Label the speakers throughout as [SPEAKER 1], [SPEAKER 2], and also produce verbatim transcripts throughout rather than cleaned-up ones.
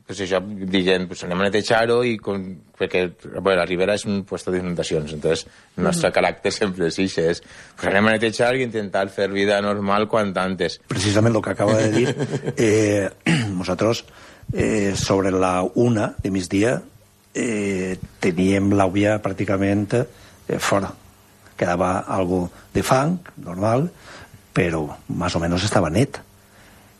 [SPEAKER 1] pues això, dient, pues anem a netejar-ho, i com, perquè bueno, la Ribera és un puesto d'inundacions, entonces el nostre mm. caràcter sempre és això, és pues anem a netejar i intentar fer vida normal quan antes.
[SPEAKER 2] Precisament el que acaba de dir, eh, nosaltres eh, sobre la una de migdia eh, teníem l'àvia pràcticament eh, fora. Quedava algo de fang, normal, però més o menys estava net.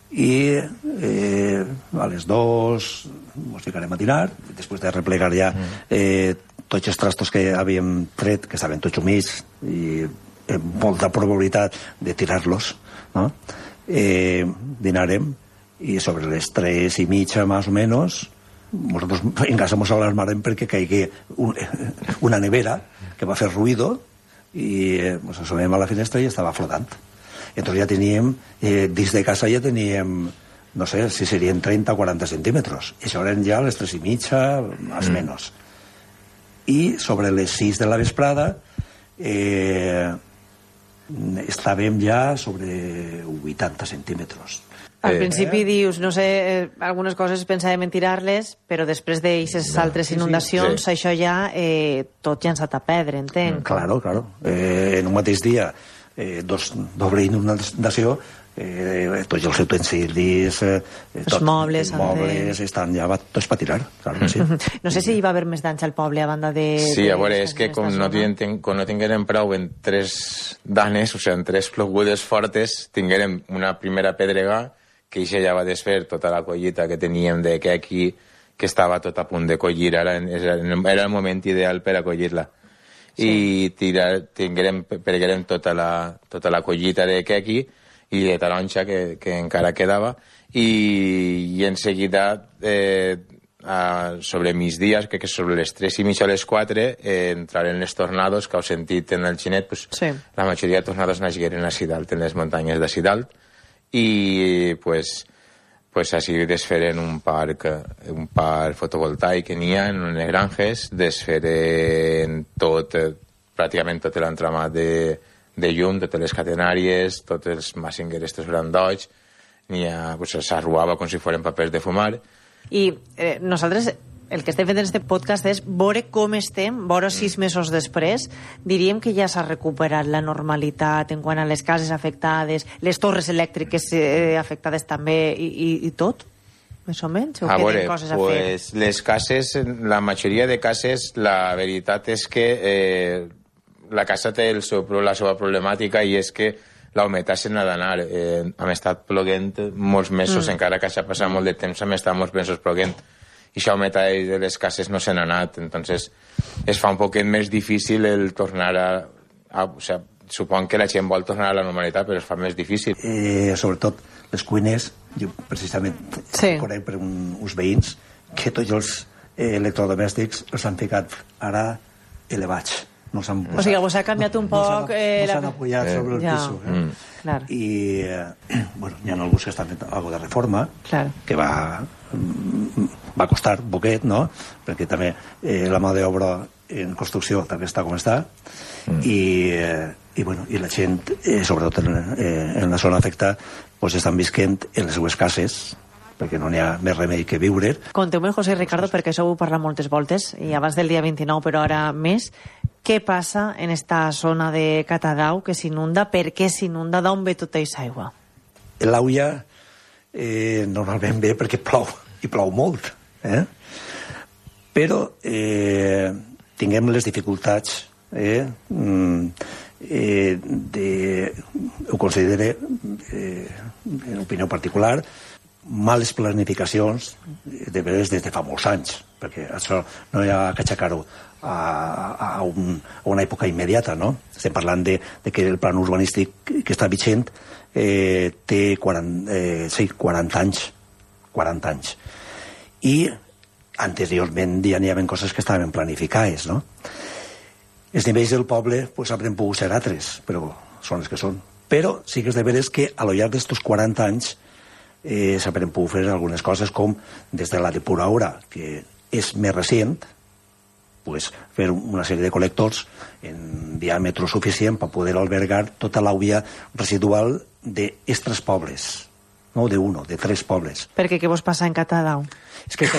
[SPEAKER 2] I eh, a les dos ens ficarem a tirar, després de replegar ja eh, tots els trastos que havíem tret, que estaven tots humits i amb molta probabilitat de tirar-los, no? Eh, dinarem, i sobre les tres i mitja més o menys nosaltres en casa ens alarmarem perquè caigui un, una nevera que va fer ruïdo i eh, ens assomem a la finestra i estava flotant. Entonces ja teníem, eh, dins de casa ja teníem, no sé, si serien trenta o quaranta centímetres. I això eren ja les tres i mitja, més o mm. menys. I sobre les sis de la vesprada eh, estàvem ja sobre vuitanta centímetres.
[SPEAKER 3] Al principi eh? dius, no sé, eh, algunes coses pensàvem en tirar-les, però després d'aquestes no, altres sí, inundacions, sí. això ja, eh, tot llançat a perdre, entenc.
[SPEAKER 2] Claro, claro. Eh, en un mateix dia, eh, dos, doble inundació, eh, tots els utensilis, eh,
[SPEAKER 3] els tot, mobles,
[SPEAKER 2] els mobles estan ja tots per tirar. Claro, sí.
[SPEAKER 3] No sé si hi va haver més danys al poble a banda de...
[SPEAKER 1] Sí,
[SPEAKER 3] de
[SPEAKER 1] a veure, és que com no, tinguem, com no tinguérem prou en tres danes, o sigui, en tres plogudes fortes, tinguérem una primera pedrega que això ja va desfer tota la collita que teníem de quequi, que estava tot a punt de collir, ara era el moment ideal per a collir-la. Sí. I tirar, tinguérem, perguérem tota la, tota la collita de quequi i de taronja que, que encara quedava, i, i en seguida eh, a, sobre migdies, crec que sobre les tres i mitja a les quatre, eh, entraren els tornados que heu sentit en el xinet, pues, sí. La majoria de tornados naixeren a Sidalt, en les muntanyes de Sidalt, i pues, pues així desferen un parc, un parc fotovoltaic que n'hi ha en unes granges, desferen tot, pràcticament tot l'entramat de, de llum, totes les catenàries, tots els Massinger, estos grandots, n'hi ha, pues, s'arruava com si foren papers de fumar.
[SPEAKER 3] I eh, nosaltres el que estem fent en aquest podcast és veure com estem, veure sis mesos després. Diríem que ja s'ha recuperat la normalitat en quant a les cases afectades, les torres elèctriques eh, afectades també, i, i, i tot? Més o menys? O
[SPEAKER 1] a veure,
[SPEAKER 3] coses a
[SPEAKER 1] pues,
[SPEAKER 3] fer?
[SPEAKER 1] Les cases, la majoria de cases, la veritat és que eh, la casa té el seu, la seva problemàtica, i és que la humitat se n'ha d'anar. Eh, hem estat ploguent molts mesos, mm. encara que s'ha passat molt de temps, hem estat molts mesos ploguent. I això humitat de les cases no se n'ha anat, entonces es fa un poquet més difícil el tornar a... a o sea, supon que la gent vol tornar a la normalitat, però es fa més difícil.
[SPEAKER 2] Eh, sobretot les cuines, jo precisament sí. conec per un, uns veïns que tots els eh, electrodomèstics els han ficat ara elevats. No s'han posat,
[SPEAKER 3] o sigui, vos ha canviat un
[SPEAKER 2] no,
[SPEAKER 3] poc...
[SPEAKER 2] No s'han no la... apoyat eh, sobre el ja. piso. Eh? Mm.
[SPEAKER 3] Clar.
[SPEAKER 2] I, eh, bueno, hi ha alguns que estan fent alguna de reforma, clar. Que va... va costar un poquet, no? Perquè també eh, la mà d'obra en construcció també està com està, mm. i, eh, i, bueno, i la gent, eh, sobretot en, eh, en la zona afectada, pues estan visquent en les seues cases, perquè no n'hi ha més remei que viure.
[SPEAKER 3] Conteu-me, José Ricardo, perquè això ho heu parlat moltes voltes, i abans del dia vint-i-nou, però ara més, què passa en esta zona de Catadau que s'inunda? Per què s'inunda? D'on ve tota aquesta aigua?
[SPEAKER 2] L'Auia eh, normalment ve perquè plou, i plou molt. Eh? Però eh, tinguem les dificultats eh, eh, de, ho considere eh, en opinió particular, males planificacions de vegades des de fa molts anys, perquè això no hi ha que aixecar-ho a, a, un, a una època immediata, no? Estem parlant de, de que el plan urbanístic que està vigent eh, té quaranta, eh, sí, quaranta anys, quaranta anys. I anteriorment ja n'hi havia coses que estaven planificades, no? Els nivells del poble pues, haurien pogut ser altres, però són els que són. Però sí que és de veres que a lo llarg d'estos quaranta anys eh, s'haurien pogut fer algunes coses, com des de la depuradora, que és més recent, pues, fer una sèrie de col·lectors en diàmetre suficient per poder albergar tota l'àvia residual d'estres pobles, no d'un, de tres pobles.
[SPEAKER 3] Perquè què vos passa en Catadau?
[SPEAKER 2] És que